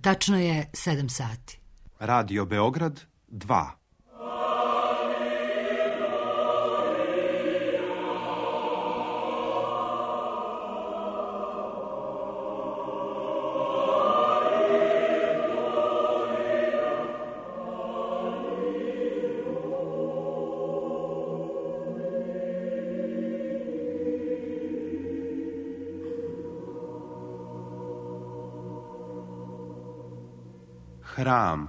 Tačno je 7 sati. Radio Beograd 2. Hram.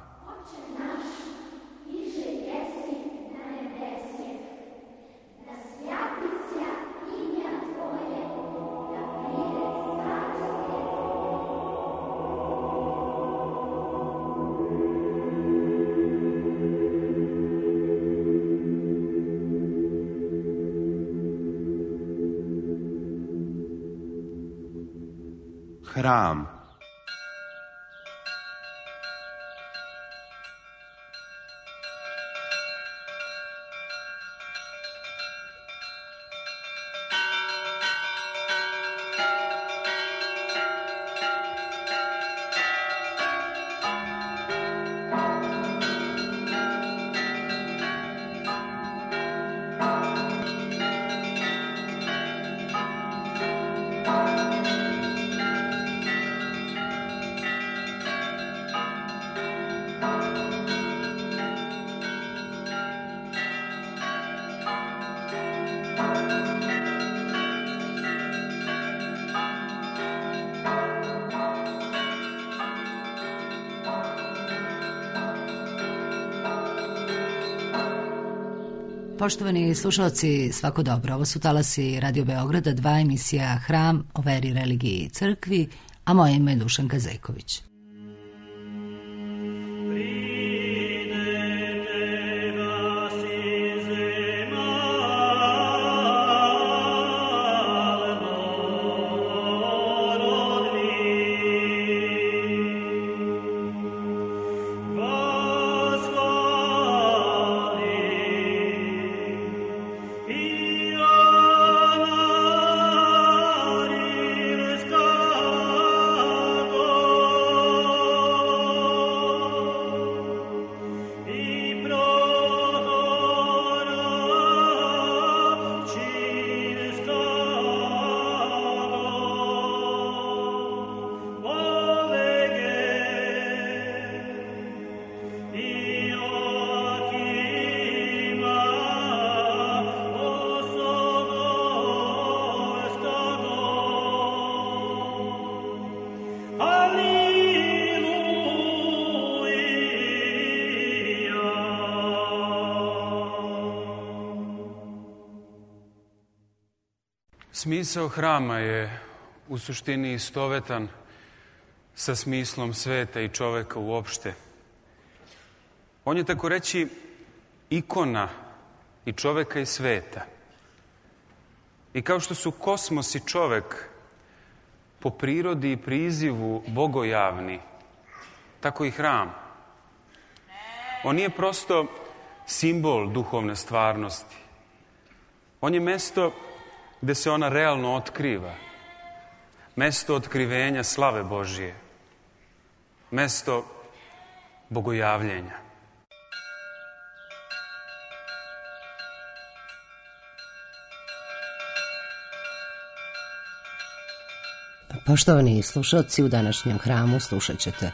Hram. Poštovani slušalci, svako dobro. Ovo su talasi Radio Beograda 2, emisija Hram o veri, religiji i crkvi, a moje ime je Dušanka Zejković. Smisao hrama je u suštini istovetan sa smislom sveta i čoveka uopšte. On je, tako reći, ikona i čoveka i sveta. I kao što su kosmos i čovek po prirodi i prizivu bogojavni, tako i hram. On nije prosto simbol duhovne stvarnosti. On je mesto gde se ona realno otkriva. Mesto otkrivenja slave Božije. Mesto bogojavljenja. Poštovani slušalci, u današnjem hramu slušat ćete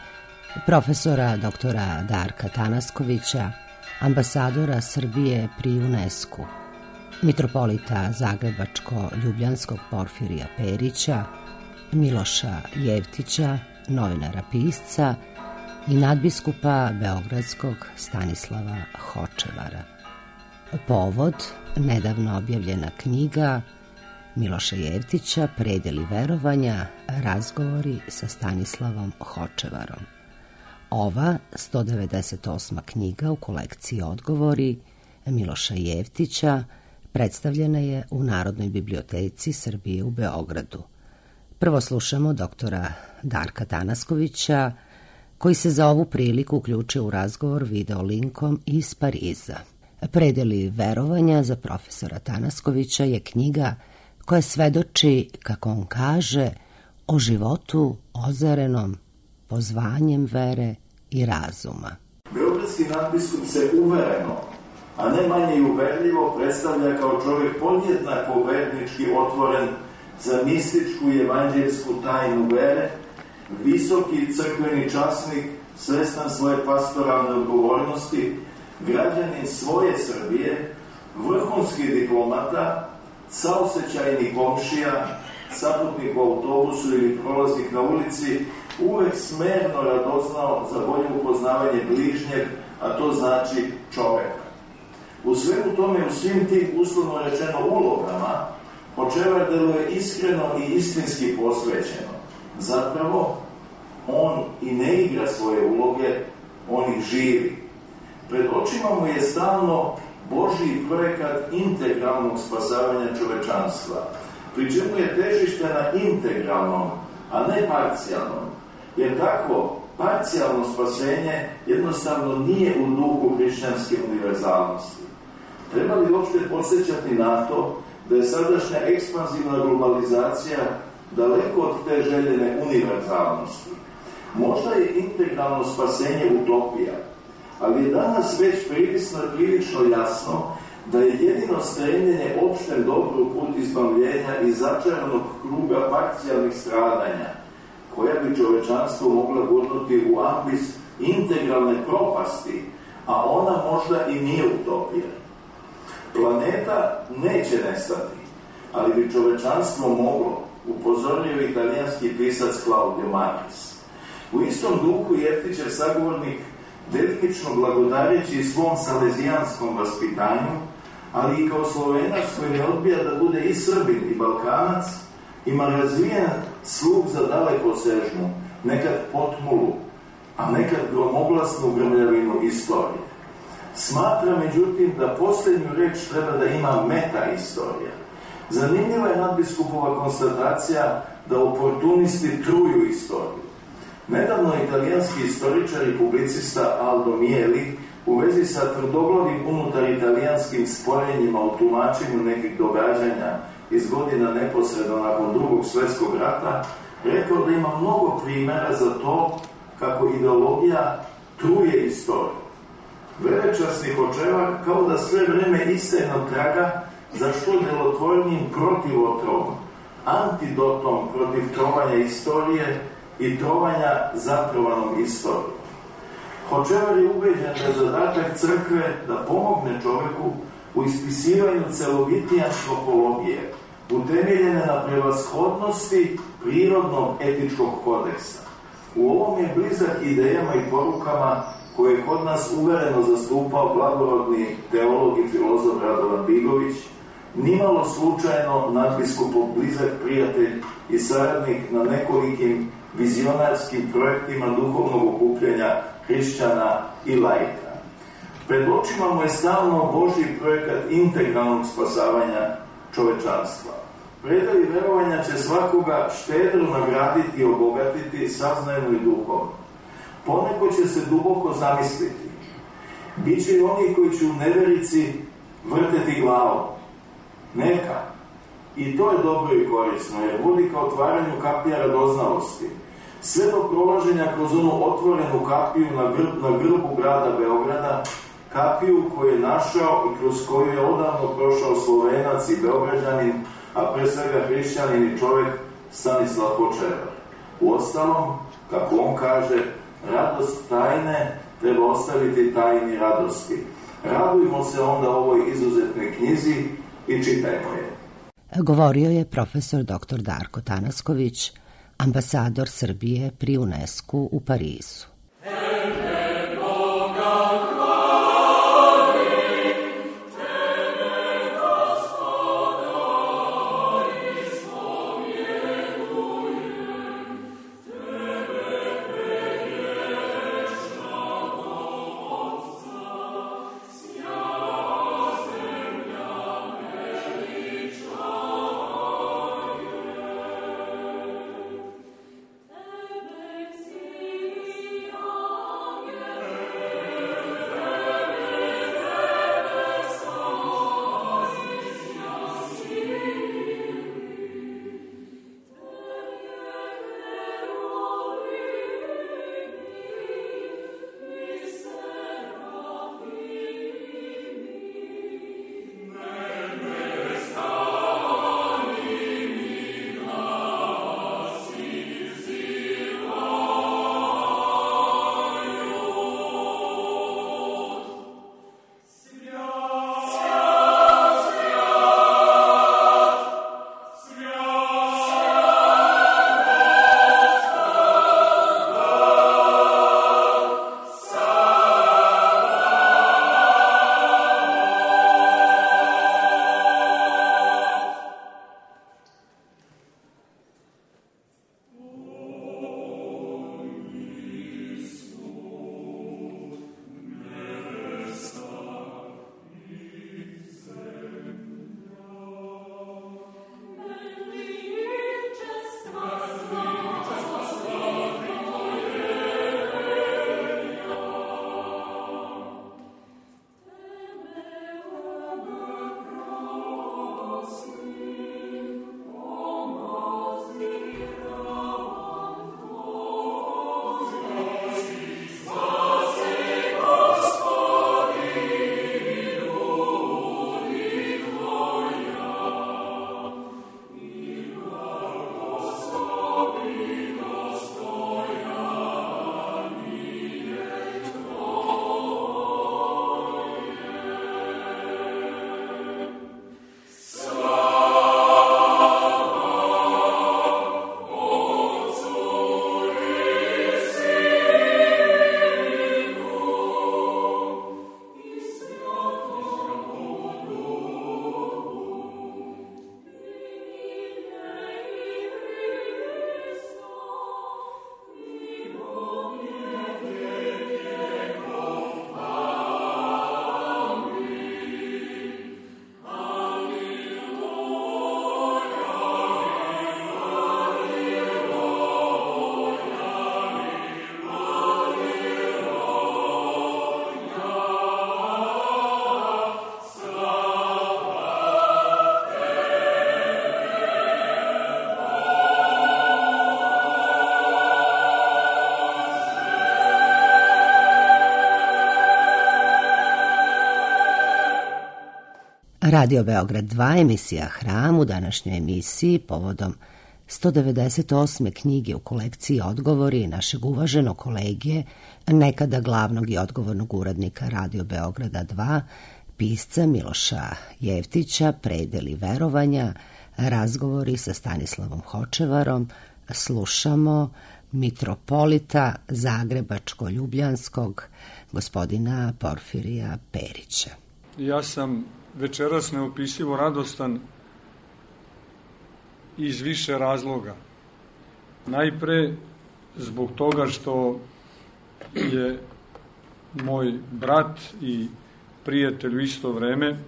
profesora doktora Darka Tanaskovića, ambasadora Srbije pri UNESCO-u, mitropolita Zagrebačko-Ljubljanskog Porfirija Perića, Miloša Jevtića, novinara pisca i nadbiskupa Beogradskog Stanislava Hočevara. Povod, nedavno objavljena knjiga Miloša Jevtića, Predeli verovanja, razgovori sa Stanislavom Hočevarom. Ova 198. knjiga u kolekciji Odgovori Miloša Jevtića predstavljena je u Narodnoj biblioteci Srbije u Beogradu. Prvo slušamo doktora Darka Tanaskovića, koji se za ovu priliku uključio u razgovor video linkom iz Pariza. Predeli verovanja za profesora Tanaskovića je knjiga koja svedoči, kako on kaže, o životu ozarenom pozvanjem vere i razuma. Beogradski nadbiskup se uvereno, a ne manje i uverljivo predstavlja kao čovjek podjednako vernički otvoren za mističku i evanđelsku tajnu vere, visoki crkveni časnik, svestan svoje pastoralne odgovornosti, građanin svoje Srbije, vrhunski diplomata, saosećajni komšija, saputnik u autobusu ili prolaznik na ulici, uvek smerno radoznao za bolje upoznavanje bližnjeg, a to znači čoveka. U svemu tome, u svim tim uslovno rečeno ulogama, Hočevar deluje iskreno i istinski posvećeno. Zapravo, on i ne igra svoje uloge, on ih živi. Pred očima mu je stalno Božji projekat integralnog spasavanja čovečanstva, pri čemu je težište na integralnom, a ne parcijalnom, jer takvo parcijalno spasenje jednostavno nije u duhu hrišćanske univerzalnosti. Treba li uopšte podsjećati na to da je sadašnja ekspanzivna globalizacija daleko od te željene univerzalnosti? Možda je integralno spasenje utopija, ali je danas već prilično jasno da je jedino stremljenje opštem dobru put izbavljenja iz začaranog kruga parcijalnih stradanja, koja bi čovečanstvo mogla gurnuti u ambis integralne propasti, a ona možda i nije utopija. Planeta neće nestati, ali bi čovečanstvo moglo, upozorio italijanski pisac Claudio Marquez. U istom duhu Jeftićev sagovornik, delimično blagodareći svom salezijanskom vaspitanju, ali i kao Slovenac koji ne odbija da bude i Srbin i Balkanac, ima razvijen sluh za dalekosežnu, nekad potmulu, a nekad gromoglasnu grmljavinu istorije. Smatra, međutim, da posljednju reč treba da ima meta-istorija. Zanimljiva je nadbiskupova konstatacija da oportunisti truju istoriju. Nedavno italijanski istoričar i publicista Aldo Mieli u vezi sa tvrdoglavim unutar italijanskim sporenjima o tumačenju nekih događanja iz godina neposredno nakon Drugog svjetskog rata rekao da ima mnogo primjera za to kako ideologija truje istoriju. Velečasni Hočevar kao da sve vreme istrajno traga za što djelotvornijim protivotrovom, antidotom protiv trovanja istorije i trovanja zatrovanom istorijom. Hočevar je ubeđen da je zadatak crkve da pomogne čoveku u ispisivanju celovitije antropologije, utemeljene na prevashodnosti prirodnog etičkog kodeksa. U ovom je blizak idejama i porukama koje je kod nas uvereno zastupao blagorodni teolog i filozof Radovan Bigović, nimalo slučajno nadbiskupov blizak prijatelj i saradnik na nekolikim vizionarskim projektima duhovnog okupljanja hrišćana i laika. Pred očima mu je stalno Božji projekat integralnog spasavanja čovečanstva. Predavi verovanja će svakoga štedro nagraditi i obogatiti saznajno i duhovno. Poneko će se duboko zamisliti. Biće i oni koji će u neverici vrteti glavom. Neka. I to je dobro i korisno, jer vodi ka otvaranju kapija radoznalosti. Sve do prolaženja kroz onu otvorenu kapiju na grbu grada Beograda, kapiju koju je našao i kroz koju je odavno prošao Slovenac i Beograđanin, a pre svega hrišćanin i čovjek Stanislav Hočevar. Uostalom, kako on kaže, radost tajne treba ostaviti tajni radosti. Radujmo se onda ovoj izuzetnoj knjizi i čitajmo je. Govorio je profesor dr. Darko Tanasković, ambasador Srbije pri UNESCO u Parizu. Radio Beograd 2, emisija Hram. U današnjoj emisiji povodom 198. knjige u kolekciji Odgovori našeg uvaženog kolege, nekada glavnog i odgovornog urednika Radio Beograda 2, pisca Miloša Jeftića, Predeli verovanja, razgovori sa Stanislavom Hočevarom, slušamo mitropolita Zagrebačko-Ljubljanskog, gospodina Porfirija Perića. Ja sam večeras neopisivo radostan iz više razloga. Najpre zbog toga što je moj brat i prijatelj u isto vreme,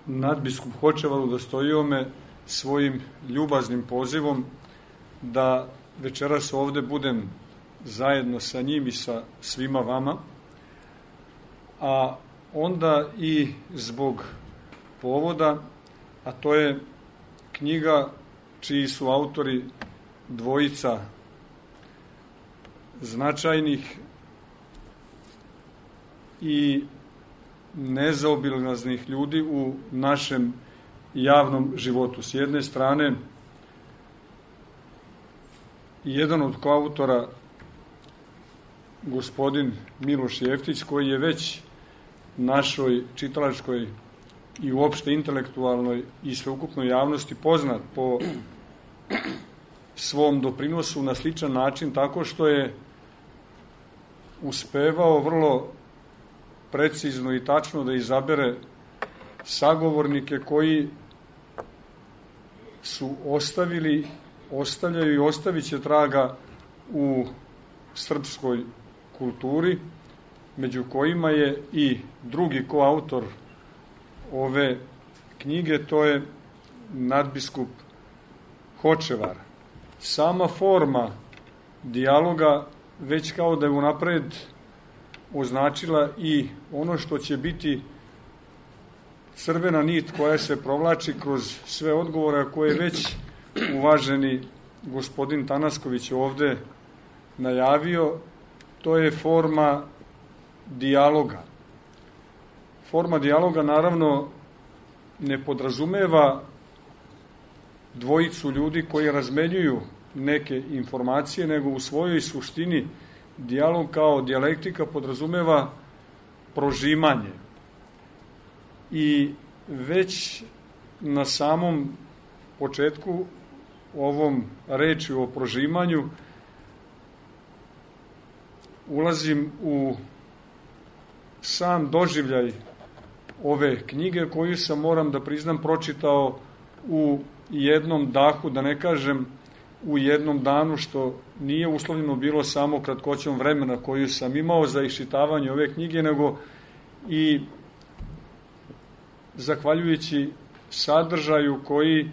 nadbiskup Hočevar, udostojio me svojim ljubaznim pozivom da večeras ovde budem zajedno sa njim i sa svima vama, a onda i zbog povoda, a to je knjiga čiji su autori dvojica značajnih i nezaobilaznih ljudi u našem javnom životu. S jedne strane, jedan od koautora, gospodin Miloš Jeftić, koji je već našoj čitalačkoj i uopšte intelektualnoj i sveukupnoj javnosti poznat po svom doprinosu na sličan način, tako što je uspevao vrlo precizno i tačno da izabere sagovornike koji su ostavljaju i ostavit će traga u srpskoj kulturi, među kojima je i drugi koautor ove knjige, to je nadbiskup Hočevar. Sama forma dijaloga već kao da je unapred označila i ono što će biti crvena nit koja se provlači kroz sve odgovore koje je već uvaženi gospodin Tanasković ovde najavio. To je forma dijaloga. Forma dijaloga naravno ne podrazumeva dvojicu ljudi koji razmenjuju neke informacije, nego u svojoj suštini dijalog kao dijalektika podrazumeva prožimanje. I već na samom početku ovom rečju o prožimanju ulazim u sam doživljaj ove knjige koju sam, moram da priznam, pročitao u jednom dahu, da ne kažem u jednom danu, što nije uslovljeno bilo samo kratkoćom vremena koju sam imao za iščitavanje ove knjige, nego i zahvaljujući sadržaju koji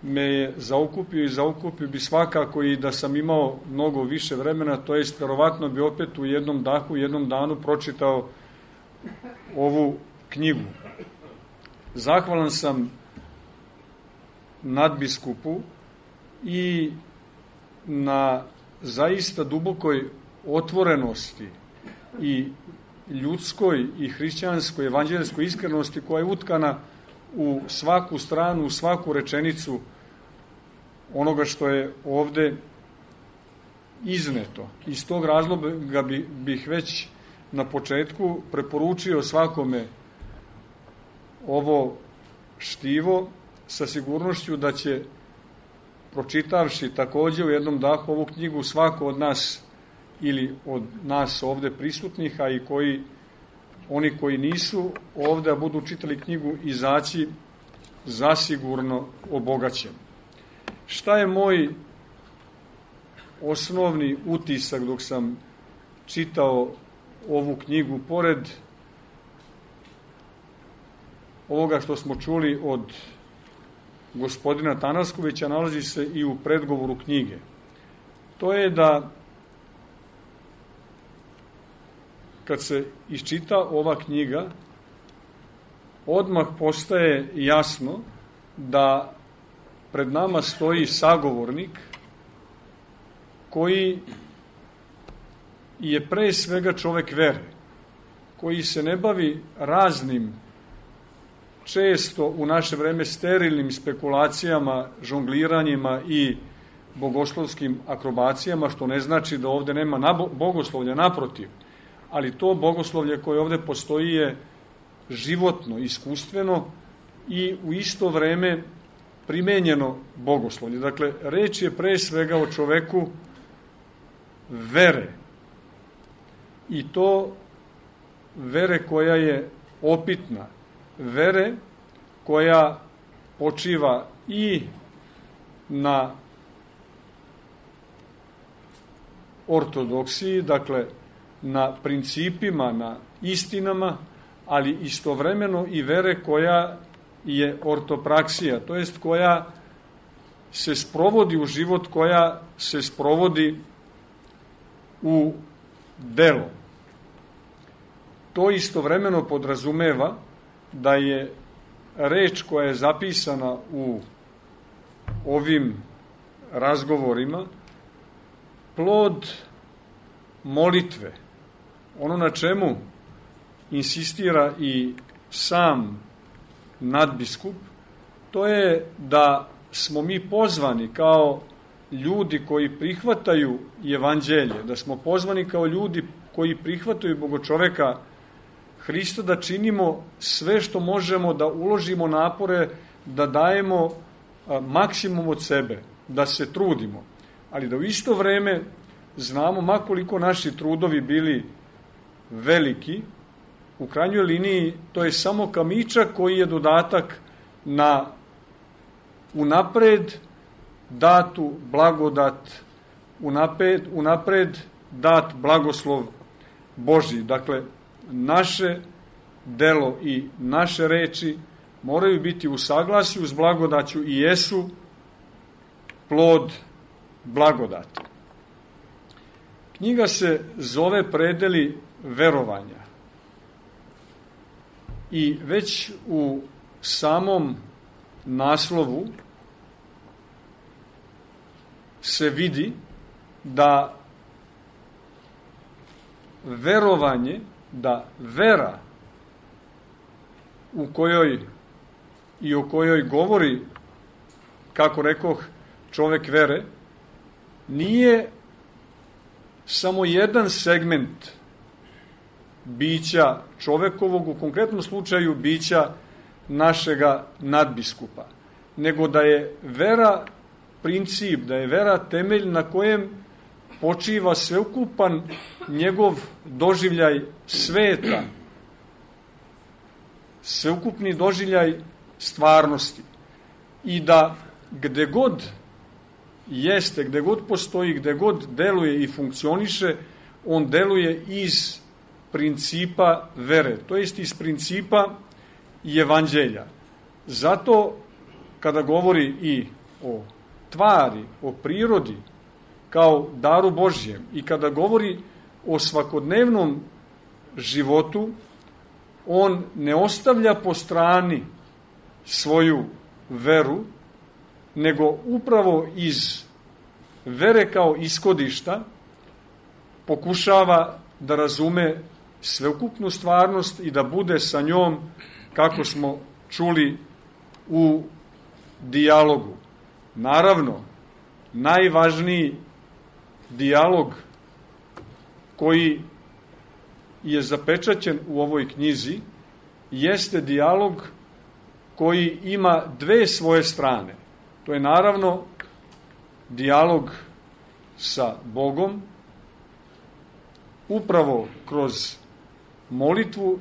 me je zaokupio i zaokupio bi svakako i da sam imao mnogo više vremena, to jest verovatno bi opet u jednom dahu, u jednom danu pročitao ovu knjigu. Zahvalan sam nadbiskupu i na zaista dubokoj otvorenosti i ljudskoj i hrišćanskoj, evanđeljskoj iskrenosti koja je utkana u svaku stranu, u svaku rečenicu onoga što je ovde izneto. Iz tog razloga bih već na početku preporučio svakome ovo štivo sa sigurnošću da će, pročitavši takođe u jednom dahu ovu knjigu, svako od nas ili od nas ovde prisutnih, a i oni koji nisu ovde, a budu čitali knjigu, izaći zasigurno obogaćen. Šta je moj osnovni utisak dok sam čitao ovu knjigu? Pored ovoga što smo čuli od gospodina Tanaskovića, nalazi se i u predgovoru knjige. To je da kad se iščita ova knjiga, odmah postaje jasno da pred nama stoji sagovornik koji je pre svega čovek vere, koji se ne bavi raznim često u naše vreme sterilnim spekulacijama, žongliranjima i bogoslovskim akrobacijama, što ne znači da ovde nema bogoslovlja, naprotiv, ali to bogoslovlje koje ovde postoji je životno, iskustveno i u isto vreme primenjeno bogoslovlje. Dakle, reč je pre svega o čoveku vere, i to vere koja je opitna, vere koja počiva i na ortodoksiji, dakle na principima, na istinama, ali istovremeno i vere koja je ortopraksija, to jest koja se sprovodi u život, koja se sprovodi u delo. To istovremeno podrazumeva da je reč koja je zapisana u ovim razgovorima plod molitve. Ono na čemu insistira i sam nadbiskup, to je da smo mi pozvani kao ljudi koji prihvataju evanđelje, da smo pozvani kao ljudi koji prihvataju Bogočoveka Hrista, da činimo sve što možemo, da uložimo napore, da dajemo maksimum od sebe, da se trudimo, ali da u isto vreme znamo, makoliko naši trudovi bili veliki, u krajnjoj liniji to je samo kamičak koji je dodatak na unapred datu blagodat, unapred dat blagoslov Božji. Dakle, naše delo i naše reči moraju biti u saglasju s blagodaću i jesu plod blagodati. Knjiga se zove Predeli verovanja i već u samom naslovu se vidi da verovanje, da vera u kojoj i o kojoj govori, kako rekoh, čovek vere, nije samo jedan segment bića čovekovog, u konkretnom slučaju bića našega nadbiskupa, nego da je vera princip, da je vera temelj na kojem počiva sveukupan njegov doživljaj sveta, sveukupni doživljaj stvarnosti. I da gde god jeste, gde god postoji, gde god deluje i funkcioniše, on deluje iz principa vere, to jest iz principa evanđelja. Zato kada govori i o tvari, o prirodi kao daru Božjem i kada govori o svakodnevnom životu, on ne ostavlja po strani svoju veru, nego upravo iz vere kao ishodišta pokušava da razume sveukupnu stvarnost i da bude sa njom, kako smo čuli, u dijalogu. Naravno, najvažniji dijalog koji je zapečaćen u ovoj knjizi jeste dijalog koji ima dve svoje strane. To je naravno dijalog sa Bogom, upravo kroz molitvu,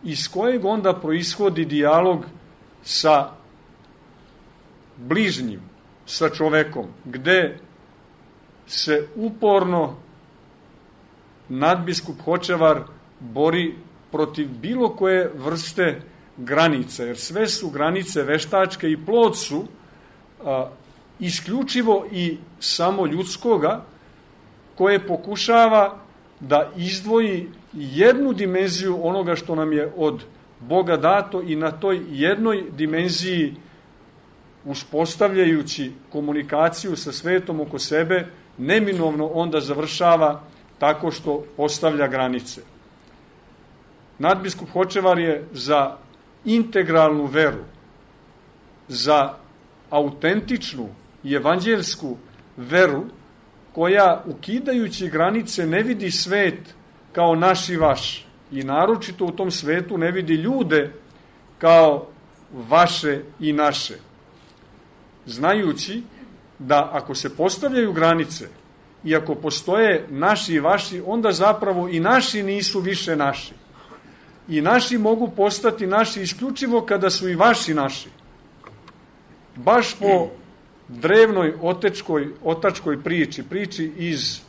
iz kojeg onda proishodi dijalog sa bližnjim, sa čovekom, gde se uporno nadbiskup Hočevar bori protiv bilo koje vrste granica, jer sve su granice veštačke i plod su isključivo i samo ljudskoga, koje pokušava da izdvoji jednu dimenziju onoga što nam je od Boga dato i na toj jednoj dimenziji, uspostavljajući komunikaciju sa svetom oko sebe, neminovno onda završava tako što postavlja granice. Nadbiskup Hočevar je za integralnu veru, za autentičnu i evanđelsku veru koja, ukidajući granice, ne vidi svet kao naš i vaš i naročito u tom svetu ne vidi ljude kao vaše i naše, znajući da ako se postavljaju granice i ako postoje naši i vaši, onda zapravo i naši nisu više naši. I naši mogu postati naši isključivo kada su i vaši naši. Baš po drevnoj otačkoj priči iz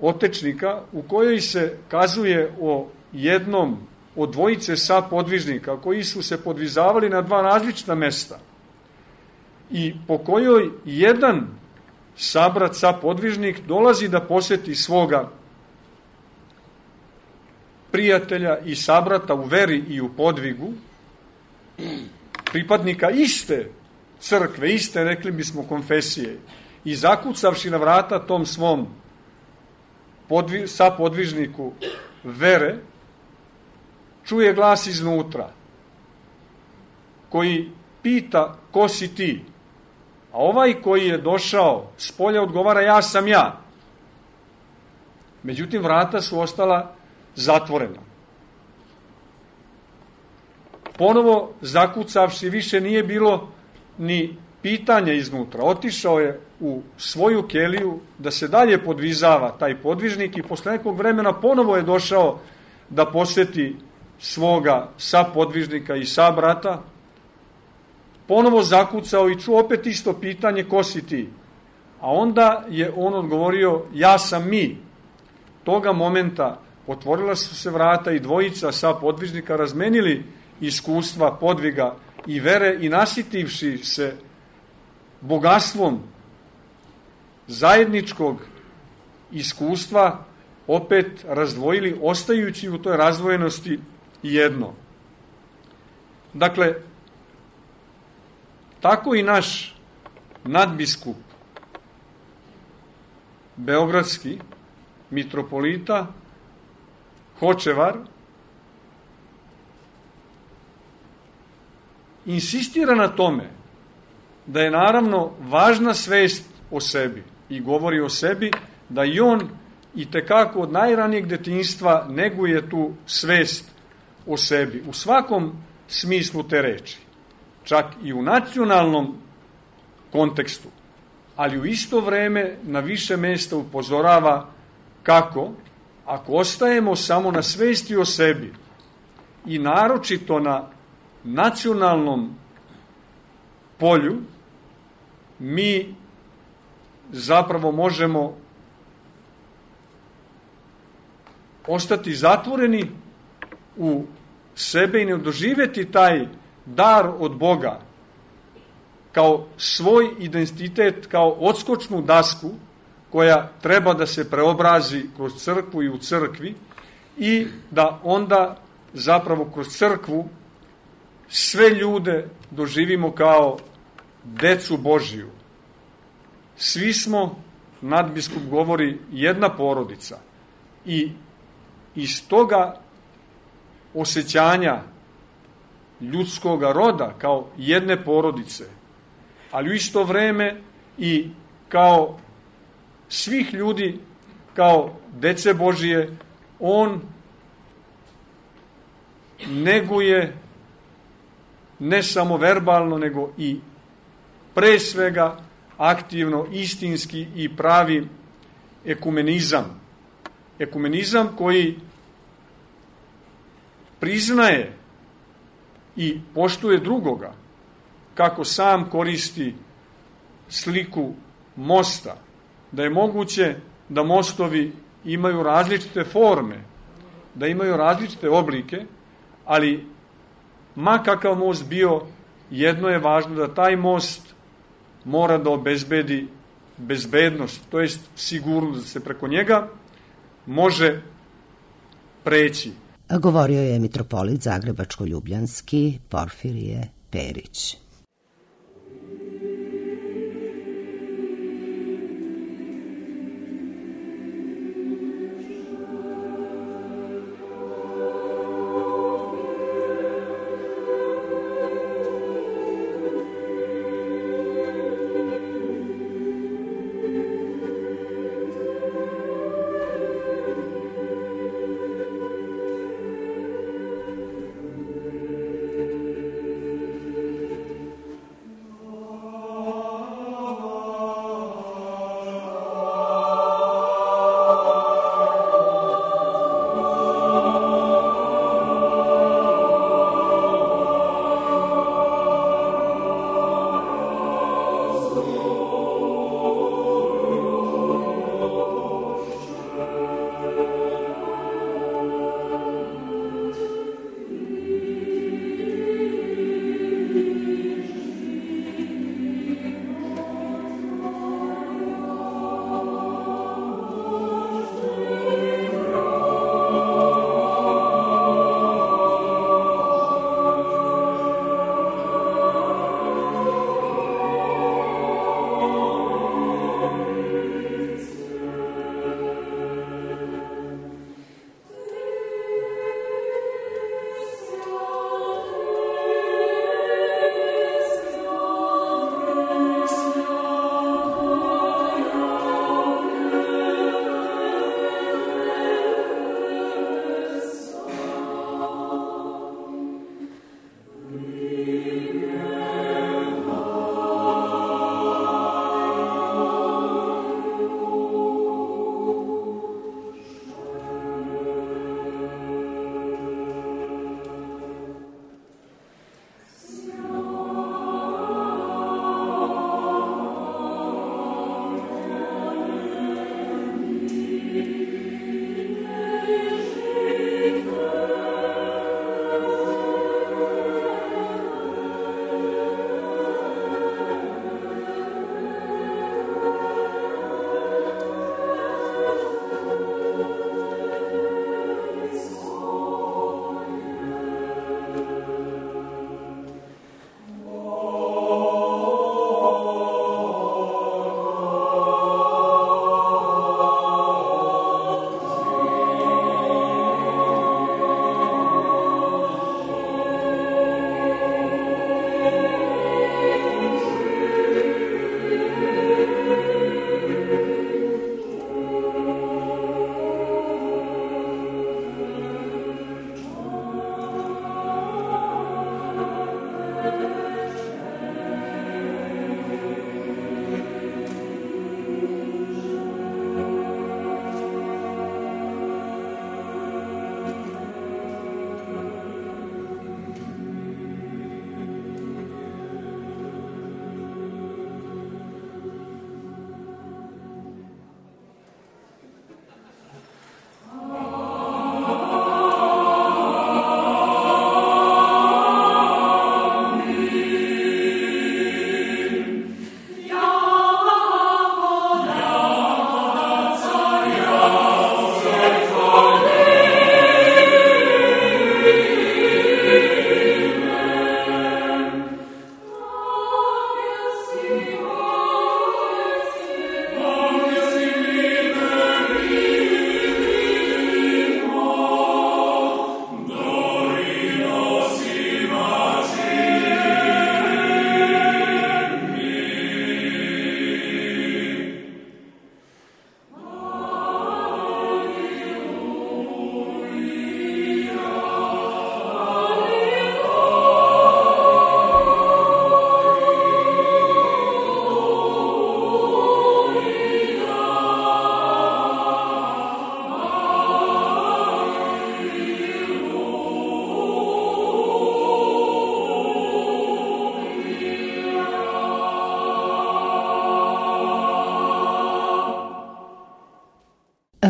Otečnika, u kojoj se kazuje o jednom od dvojice sapodvižnika koji su se podvizavali na dva različita mesta i po kojoj jedan sabrat sapodvižnik dolazi da poseti svoga prijatelja i sabrata u veri i u podvigu, pripadnika iste crkve, iste, rekli bismo, konfesije, i zakucavši na vrata tom svom sapodvižniku vere, čuje glas iznutra koji pita ko si ti, a ovaj koji je došao s polja odgovara ja sam ja. Međutim, vrata su ostala zatvorena. Ponovo zakucavši, više nije bilo ni pitanja iznutra. Otišao je u svoju keliju da se dalje podvizava taj podvižnik i posle nekog vremena ponovo je došao da poseti svoga sapodvižnika i sabrata, ponovo zakucao i čuo opet isto pitanje ko si ti, a onda je on odgovorio ja sam mi. Toga momenta otvorila su se vrata i dvojica sapodvižnika razmenili iskustva podviga i vere i nasitivši se bogatstvom zajedničkog iskustva opet razdvojili, ostajući u toj razdvojenosti jedno. Dakle, tako i naš nadbiskup beogradski, mitropolita Hočevar, insistira na tome da je naravno važna svest o sebi i govori o sebi da i on i tekako od najranijeg detinjstva neguje tu svest o sebi u svakom smislu te reči, čak i u nacionalnom kontekstu, ali u isto vreme na više mesta upozorava kako, ako ostajemo samo na svesti o sebi i naročito na nacionalnom polju, mi zapravo možemo ostati zatvoreni u sebe i ne doživjeti taj dar od Boga kao svoj identitet, kao odskočnu dasku koja treba da se preobrazi kroz crkvu i u crkvi i da onda zapravo kroz crkvu sve ljude doživimo kao decu Božiju. Svi smo, nadbiskup govori, jedna porodica i iz toga osjećanja ljudskoga roda kao jedne porodice, ali u isto vreme i kao svih ljudi, kao dece Božije, on neguje ne samo verbalno, nego i pre svega aktivno, istinski i pravi ekumenizam. Ekumenizam koji priznaje i poštuje drugoga, kako sam koristi sliku mosta, da je moguće da mostovi imaju različite forme, da imaju različite oblike, ali ma kakav most bio, jedno je važno da taj most mora da obezbedi bezbednost, to jest sigurnost da se preko njega može preći. Govorio je mitropolit Zagrebačko-Ljubljanski Porfirije Perić.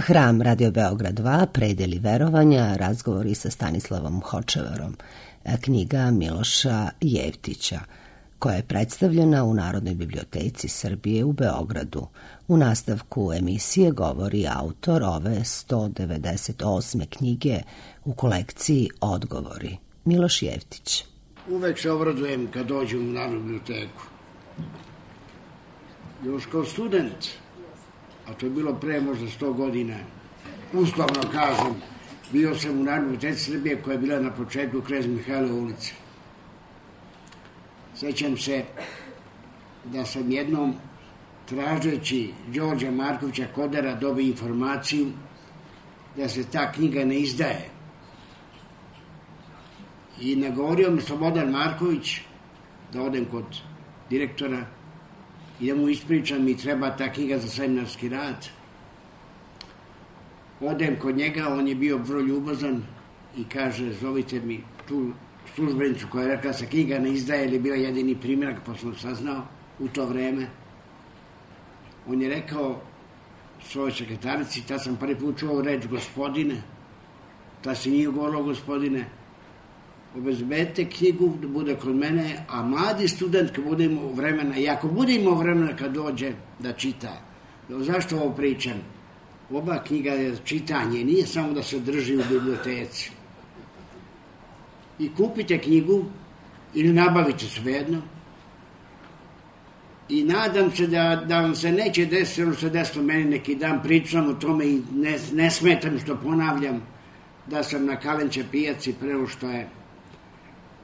Hram Radio Beograd 2, Predeli verovanja, razgovori sa Stanislavom Hočevarom, knjiga Miloša Jevtića, koja je predstavljena u Narodnoj biblioteci Srbije u Beogradu. U nastavku emisije govori autor ove 198. knjige u kolekciji Odgovori, Miloš Jevtić. Uvek se obradujem kad dođem u Narodnu biblioteku. Još kao student, a to je bilo pre možda 100 godina, uslovno kažem, bio sam u Narodnoj biblioteci Srbije koja je bila na početku Knez Mihajlove ulice. Sećam se da sam jednom, tražeći Đorđa Markovića Kodara, dobio informaciju da se ta knjiga ne izdaje. I nagovorio mi Slobodan Marković da odem kod direktora i da mu ispričam mi treba ta knjiga za seminarski rad. Odem kod njega, on je bio vrlo ljubazan i kaže, zovite mi tu službenicu koja je rekla da se knjiga ne izdaje, ili je bila jedini primjerak, pa sam saznao u to vreme. On je rekao svojoj sekretarici, tad sam prvi put čuo reč gospodine, tad se nije govorilo gospodine, obezbedite knjigu da bude kod mene, a mladi student kad bude imao vremena, i ako bude imao vremena kad dođe da čita. Zašto ovo pričam? Oba knjiga je čitanje, nije samo da se drži u biblioteci. I kupite knjigu ili nabavite svejedno i nadam se da vam se neće desiti ono što se desilo meni neki dan, pričam o tome i ne smetam što ponavljam da sam na Kalenče pijaci preo što je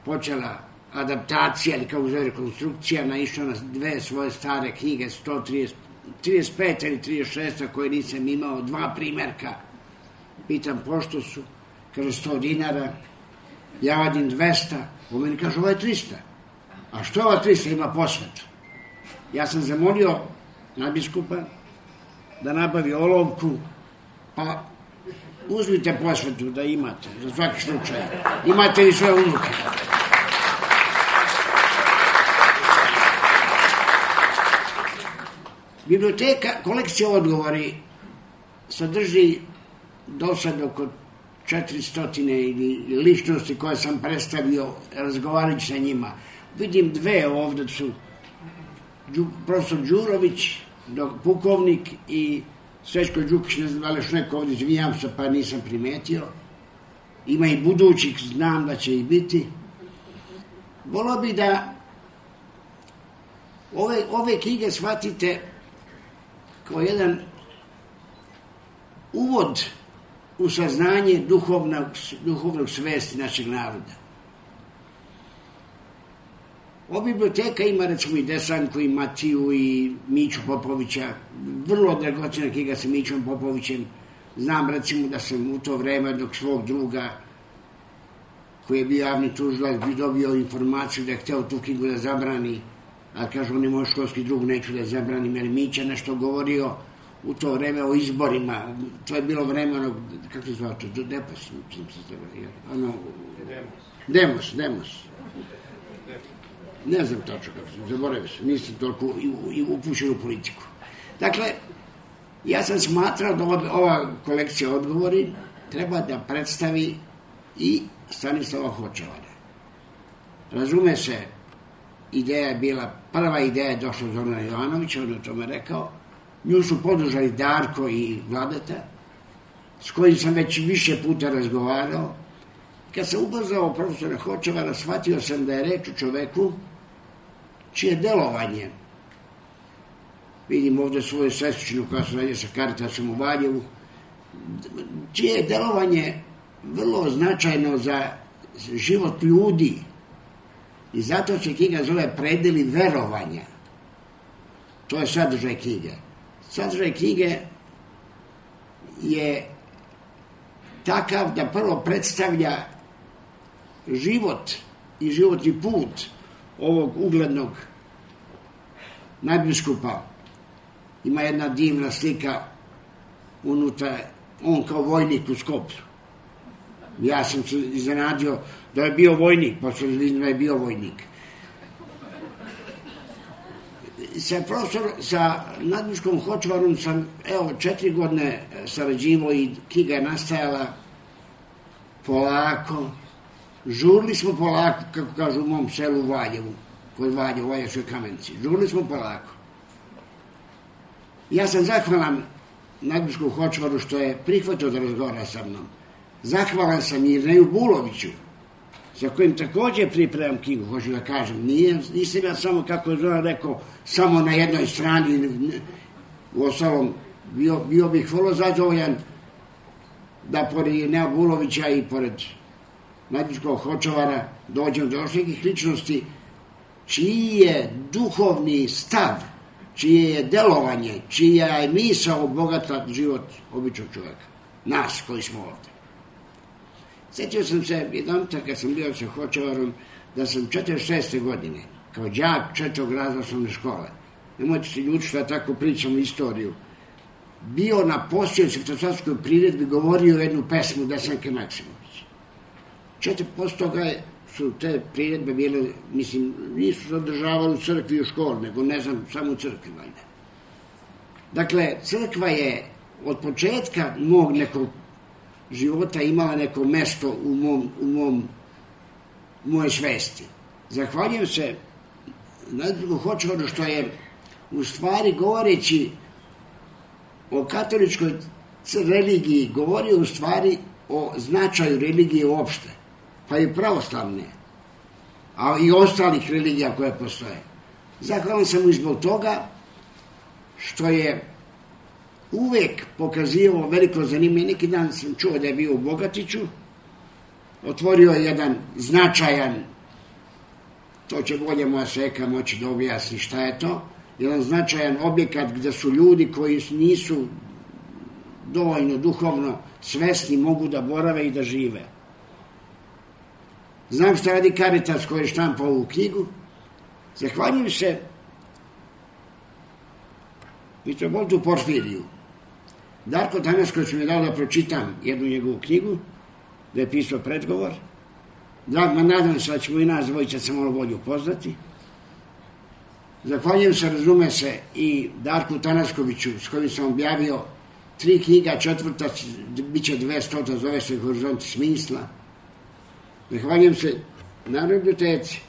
počela adaptacija ili kao zove rekonstrukcija, naišao na dve svoje stare knjige, 35 ili 36 koje nisam imao, 2 primjerka. Pitam pošto su, kaže 100 dinara, ja vadim 200, on meni kaže ovo je 300. A što ova 300 ima posvetu? Ja sam zamolio nadbiskupa da nabavi olovku, pa uzmite posvetu da imate, za svaki slučaj. Imate i svoje unuke. Biblioteka, kolekcija odgovori sadrži do sad oko 400 ili ličnosti koje sam predstavio razgovarajući sa njima. Vidim 2 ovde su profesor Đurović, pukovnik, i Srećko Đukić, ne znam da li još neko ovde, izvinjam se pa nisam primetio. Ima i budućih, znam da će i biti. Volio bi da ove knjige shvatite kao jedan uvod u saznanje duhovnog svesti našeg naroda. Ova biblioteka ima recimo i Desanku, i Matiju, i Miću Popovića, vrlo dragocena knjiga sa Mićom Popovićem. Znam recimo da sam u to vreme dok svog druga, koji je bio javni tužilac, bi dobio informaciju da je hteo tu knjigu da zabrani, a kaže on je moj školski drug, neću da je zabranim, jer Mića nešto govorio u to vreme o izborima. To je bilo vreme onog, kako se zvao to, Demos. Ne znam točno kako se, zaboravio sam, nisam toliko upućen u politiku. Dakle, ja sam smatrao da ova kolekcija odgovori treba da predstavi i Stanislava Hočevara. Razume se, ideja je bila, prva ideja je došla od Zorana Jovanovića, on je o tome rekao, nju su podržali Darko i Vladeta, s kojim sam već više puta razgovarao. Kad sam ubrzao profesora Hočevara, shvatio sam da je reč o čoveku čije delovanje, vidim ovde svoju sestričnu koja se radi sa Caritasom u Valjevu, čije je delovanje vrlo značajno za život ljudi i zato se knjiga zove Predeli verovanja. To je sadržaj knjige. Sadržaj knjige je takav da prvo predstavlja život i životni put ovog uglednog nadbiskupa. Ima jedna divna slika unutra, on kao vojnik u Skoplju. Ja sam se iznenadio da je bio vojnik, pa sam da je bio vojnik. sa nadmuškom Hočevarom sam, 4 godine sarađivao i knjiga je nastajala polako. Žurili smo polako, kako kažu u mom selu u Valjevu, kod Valjevu, u Valjačkoj Kamenici. Žurili smo polako. Ja sam zahvalan nadmuškom Hočevaru što je prihvatio da razgovara sa mnom. Zahvalan sam Irneju Buloviću, za kojim također pripremam knjigu, hoću da kažem. Nisam ja samo, kako je Zoran rekao, samo na jednoj strani. U ostalom, bio bih vrlo zadovoljan da pored Irneja Bulovića i pored nadmuškog Hočevara dođem do još nekih ličnosti čiji je duhovni stav, čije je delovanje, čija je misao bogata život običnog čovjeka. Nas koji smo ovdje. Sjetio sam se jedan kad sam bio sa Hočevarom da sam 46. godine kao đak 4. razreda osnovne škole, nemojte se ljudi što ja tako pričam istoriju, bio na postojećoj svetosadskoj priredbi, govorio jednu pesmu Desanke Maksimović. 4% toga su te priredbe bile, mislim, nisu se održavali u crkvi i u školi, nego ne znam, samo u crkvi valjda. Dakle, crkva je od početka mog nekog života imala neko mesto u moje svesti. Zahvaljujem se nadmuškom Hočevaru što je u stvari govoreći o katoličkoj religiji govorio u stvari o značaju religije uopšte, pa i pravoslavne, a i ostalih religija koje postoje. Zahvalan sam mu i zbog toga što je uvek pokazivao veliko zanimanje. Neki dan sam čuo da je bio u Bogatiću, otvorio je jedan značajan, to će bolje moja Seka moći da objasni šta je to, jedan značajan objekat gde su ljudi koji nisu dovoljno duhovno svesni mogu da borave i da žive. Znam šta radi Caritas koji je štampao ovu knjigu. Zahvaljujem se mitropolitu Porfiriju. Darko Tanasković mi je dao da pročitam jednu njegovu knjigu, da je pisao predgovor. Nadam se da ćemo i nas dvojica se malo bolje upoznati. Zahvaljujem se, razume se, i Darku Tanaskoviću s kojim sam objavio 3 knjiga, 4. bit će 200, zove se Horizonti smisla. Zahvaljujem se Narodnoj biblioteci,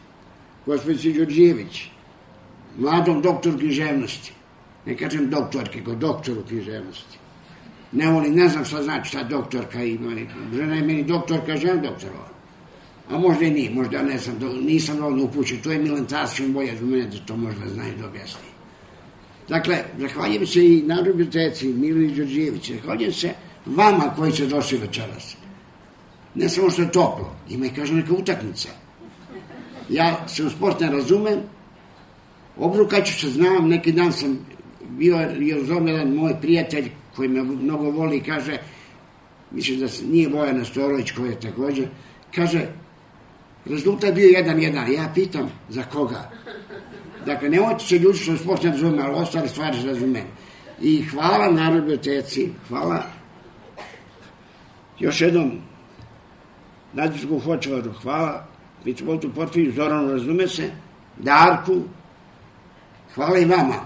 gospođici Đorđević, mladom doktoru književnosti. Ne kažem doktorke, go doktoru književnosti. Ne znam šta znači ta doktorka ima. Žena je meni doktorka, žena doktorova. A možda i nije, možda ja ne znam, nisam dovoljno upućen. To je Milan Tasić, bolje za mene da to možda zna i da objasni. Dakle, zahvaljujem se i Narodnoj biblioteci, Milini Đorđević, zahvaljujem se vama koji ste došli večeras. Ne samo što je toplo, ima i kažem neka utakmica. Ja se u sport ne razumem, obrukaću se, znam, neki dan sam bio jedan moj prijatelj koji me mnogo voli i kaže, mislim da nije Bojan Nestorović koji je također, kaže, rezultat bio 1-1, ja pitam za koga. Dakle, nemojte se ljudi što sport ne razume, ali ostale stvari se razume. I hvala Narodnoj biblioteci, hvala još jednom nadmuškom Hočevaru, hvala mitropolitu Porfiriju, Zoranu, razume se, Darku, hvala i vama.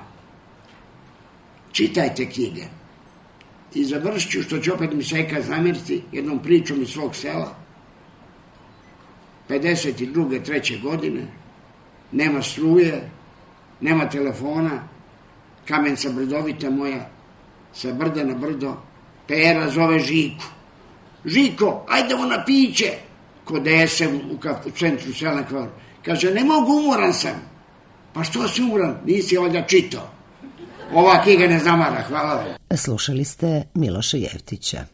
Čitajte knjige. I završit ću, što će opet mi Seka zameriti, jednom pričom iz svog sela. 52. 3. godine, nema struje, nema telefona, Kamenica brdovita moja, sa brda na brdo, Pera zove Žiku. Žiko, ajdemo na piće, kod Dese u centru sela Kvaru. Kaže, ne mogu, umoran sam. Pa što si umoran? Nisi ovdje čitao. Ova knjiga ne zamara, hvala vam. Slušali ste Miloša Jevtića.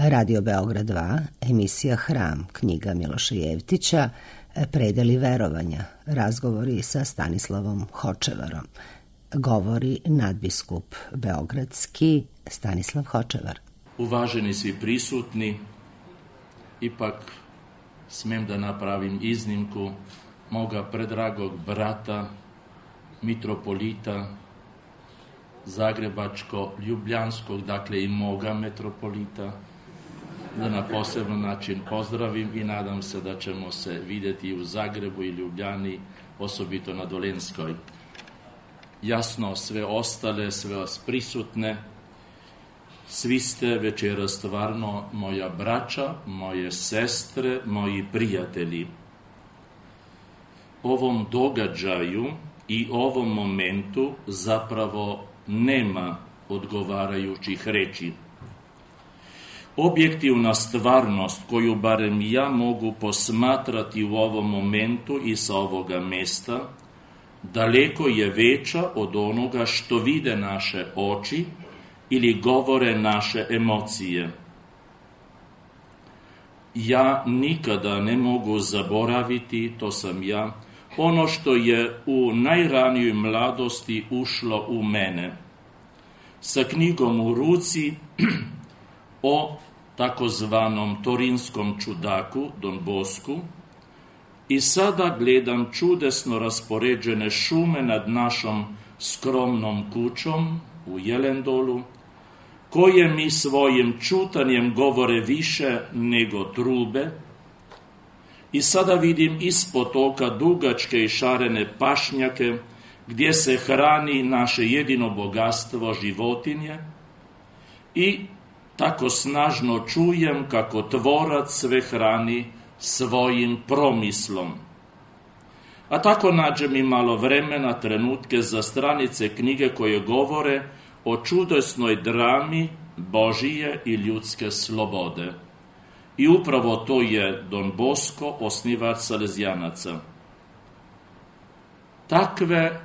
Radio Beograd 2, emisija Hram, knjiga Miloša Jevtića, Predeli verovanja, razgovori sa Stanislavom Hočevarom. Govori nadbiskup beogradski Stanislav Hočevar. Uvaženi svi prisutni, ipak smem da napravim iznimku moga predragog brata, mitropolita Zagrebačko-Ljubljanskog, dakle i moga metropolita, da na poseban način pozdravim i nadam se da ćemo se vidjeti u Zagrebu i Ljubljani, osobito na Dolenskoj. Jasno, sve ostale, sve vas prisutne, svi ste večeras stvarno moja braća, moje sestre, moji prijatelji. Ovom događaju i ovom momentu zapravo nema odgovarajućih reči. Objektivna stvarnost koju barem ja mogu posmatrati u ovom momentu i sa ovoga mesta, daleko je veća od onoga što vide naše oči ili govore naše emocije. Ja nikada ne mogu zaboraviti, to sam ja, ono što je u najranijoj mladosti ušlo u mene. Sa knjigom u ruci o takozvanom torinskom čudaku, Don Bosku, i sada gledam čudesno raspoređene šume nad našom skromnom kućom u Jelendolu, koje mi svojim čutanjem govore više nego trube, i sada vidim ispod oka dugačke i šarene pašnjake gdje se hrani naše jedino bogatstvo, životinje, i tako snažno čujem kako tvorac sve hrani svojim promislom. A tako nađem i malo vremena, trenutke za stranice knjige koje govore o čudesnoj drami Božije i ljudske slobode. I upravo to je Don Bosco, osnivač Salezijanaca. Takve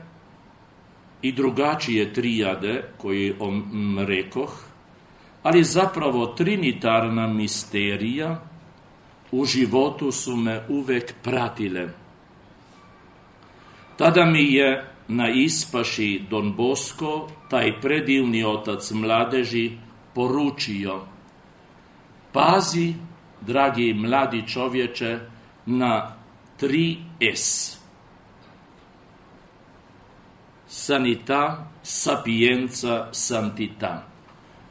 i drugačije trijade koje rekoh, ali zapravo trinitarna misterija u životu su me uvek pratile. Tada mi je na ispaši Don Bosco, taj predivni otac mladeži, poručio: pazi, dragi mladi čovječe, na 3S. Sanita, sapienza, santità.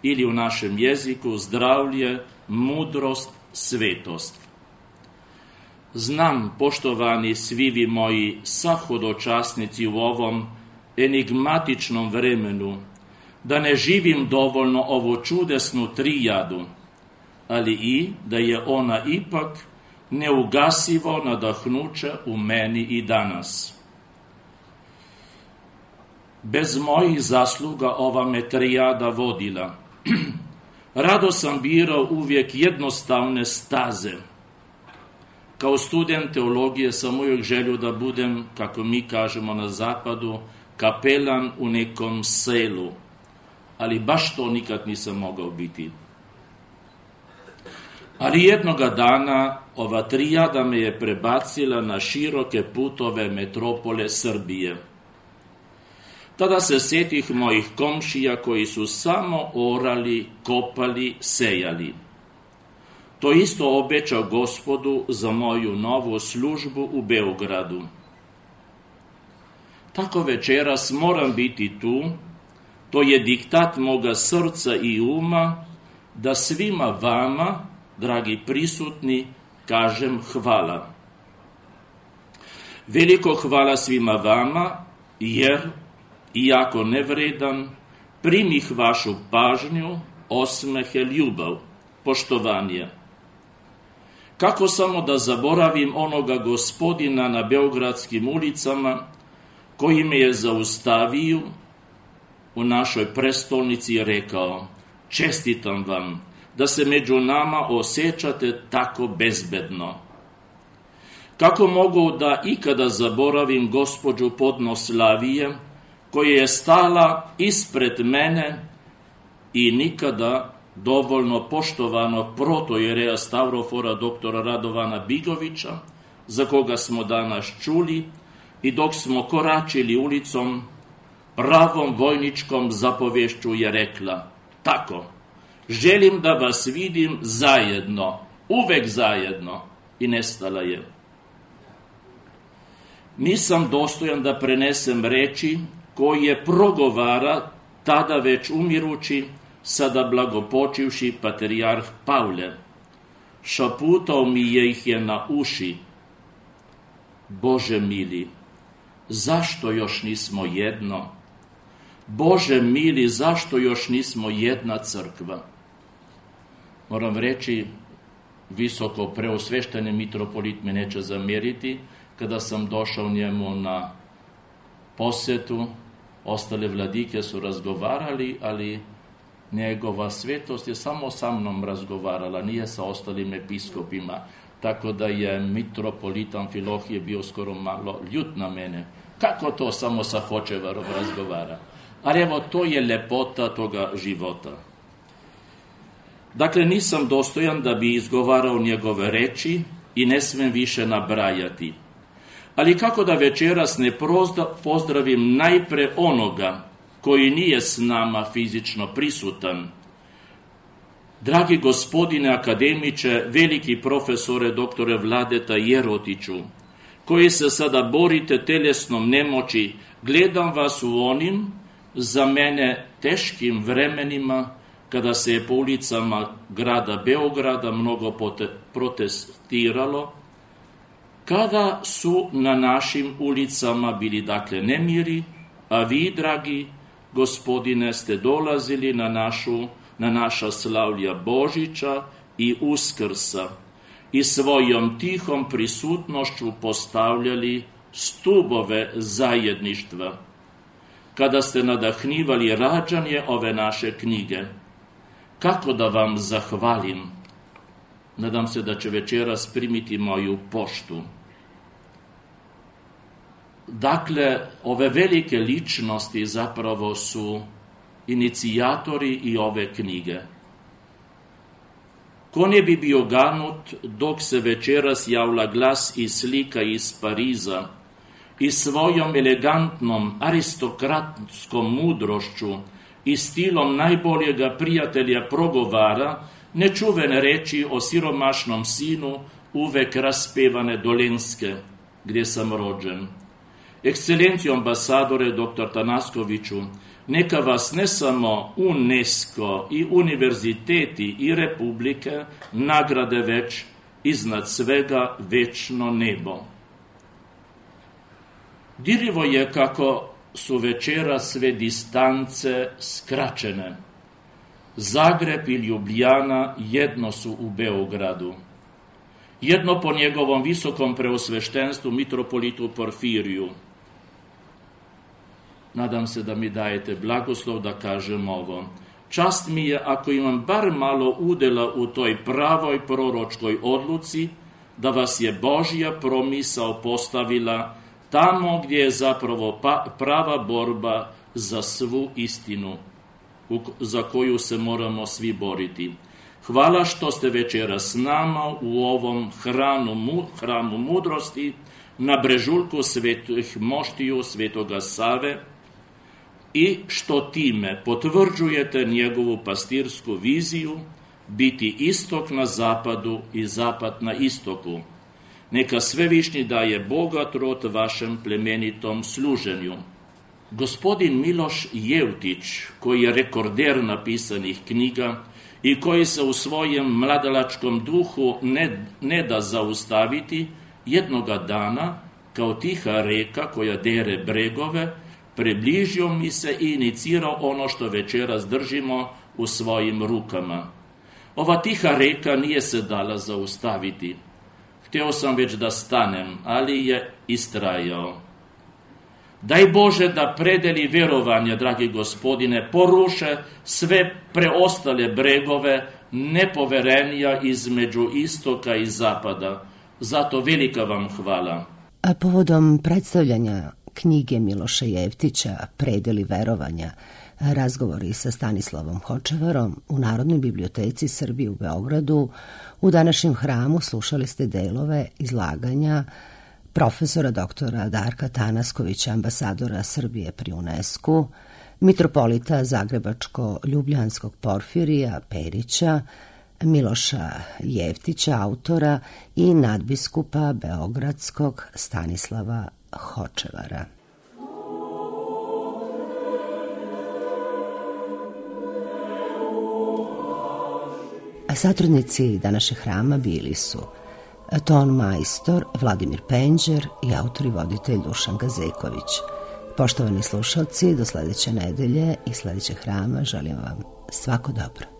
Ili u našem jeziku zdravlje, mudrost, svetost. Znam, poštovani svi vi moji sahodočasnici, u ovom enigmatičnom vremenu, da ne živim dovoljno ovu čudesnu trijadu, ali i da je ona ipak neugasivo nadahnuće u meni i danas. Bez mojih zasluga ova me trijada vodila. Rado sam birao uvijek jednostavne staze. Kao student teologije sam uvijek želio da budem, kako mi kažemo na zapadu, kapelan u nekom selu, ali baš to nikad nisam mogao biti. Ali jednoga dana ova trijada me je prebacila na široke putove metropole Srbije. Tada se sjetih mojih komšija koji su samo orali, kopali, sejali. To isto obećao Gospodu za moju novu službu u Beogradu. Tako večeras moram biti tu, to je diktat moga srca i uma, da svima vama, dragi prisutni, kažem hvala. Veliko hvala svima vama, jer, iako nevredan, primih vašu pažnju, osmehe, ljubav, poštovanje. Kako samo da zaboravim onoga gospodina na beogradskim ulicama, koji me je zaustavio u našoj prestolnici i rekao: čestitam vam da se među nama osjećate tako bezbedno. Kako mogu da ikada zaboravim gospođu Podnoslavije, koja je stala ispred mene i nikada dovoljno poštovanog protojereja Stavrofora doktora Radovana Bigovića, za koga smo danas čuli, i dok smo koračili ulicom, pravom vojničkom zapovješću je rekla: tako, želim da vas vidim zajedno, uvek zajedno, i nestala je. Nisam dostojan da prenesem reči koje progovara tada već umirući, sada blagopočivši patrijarh Pavle. Šaputao mi je ih je na uši: Bože mili, zašto još nismo jedno? Bože mili, zašto još nismo jedna crkva? Moram reći, visoko preosvešteni mitropolit me neće zamjeriti, kada sam došao njemu na posetu, ostale vladike su razgovarali, ali njegova svetost je samo sa mnom razgovarala, nije sa ostalim episkopima, tako da je mitropolit Amfilohije bio skoro malo ljut na mene. Kako to samo sa Hočevarom razgovara? Ali evo, to je lepota toga života. Dakle, nisam dostojan da bi izgovarao njegove reči i ne smem više nabrajati. Ali kako da večeras ne pozdravim najpre onoga koji nije s nama fizično prisutan? Dragi gospodine akademiče, veliki profesore doktore Vladeta Jerotiću, koji se sada borite telesnom nemoći, gledam vas u onim, za mene, teškim vremenima, kada se je po ulicama grada Beograda mnogo protestiralo, kada su na našim ulicama bili dakle nemiri, a vi, dragi gospodine, ste dolazili na naša slavlja Božića i Uskrsa i svojom tihom prisutnošću postavljali stubove zajedništva. Kada ste nadahnivali rađanje ove naše knjige, kako da vam zahvalim? Nadam se da će večeras primiti moju poštu. Dakle, ove velike ličnosti zapravo su inicijatori i ove knjige. Ko ne bi bio ganut dok se večeras javlja glas i slika iz Pariza i svojom elegantnom aristokratskom mudrošću i stilom najboljega prijatelja progovara nečuvene reči o siromašnom sinu uvek raspevane Dolenske, gdje sam rođen. Ekscelencijo ambasadore dr. Tanaskoviću, neka vas ne samo UNESCO i univerziteti i republike nagrade, već iznad svega večno nebo. Dirljivo je kako su večera sve distance skraćene. Zagreb i Ljubljana jedno su u Beogradu. Jedno po njegovom visokom preosveštenstvu mitropolitu Porfiriju. Nadam se da mi dajete blagoslov da kažem ovo. Čast mi je ako imam bar malo udela u toj pravoj proročkoj odluci, da vas je Božja promisao postavila tamo gdje je zapravo prava borba za svu istinu, za koju se moramo svi boriti. Hvala što ste večeras s nama u ovom hramu mudrosti na brežuljku Svetih moštiju Svetoga Save i što time potvrđujete njegovu pastirsku viziju biti istok na zapadu i zapad na istoku. Neka svevišnji daje bogat rod vašem plemenitom služenju. Gospodin Miloš Jevtić, koji je rekorder napisanih knjiga i koji se u svojem mladalačkom duhu ne da zaustaviti, jednoga dana, kao tiha reka koja dere bregove, približio mi se i inicirao ono što večeras držimo u svojim rukama. Ova tiha reka nije se dala zaustaviti. Htio sam već da stanem, ali je istrajao. Daj Bože da predeli vjerovanje, dragi gospodine, poruše sve preostale bregove nepoverenja između istoka i zapada. Zato velika vam hvala. A povodom predstavljanja knjige Miloša Jevtića Predeli verovanja, Razgovori sa Stanislavom Hočevarom u Narodnoj biblioteci Srbije u Beogradu. U današnjem hramu slušali ste delove izlaganja profesora doktora Darka Tanaskovića, ambasadora Srbije pri UNESCO-u, mitropolita Zagrebačko-Ljubljanskog Porfirija Perića, Miloša Jeftića, autora, i nadbiskupa Beogradskog Stanislava Hočevara. Satrudnici današnjeg hrama bili su ton majstor Vladimir Penđer i autor i voditelj Dušan Gazeković. Poštovani slušalci, do sledeće nedelje i sledećeg hrama želim vam svako dobro.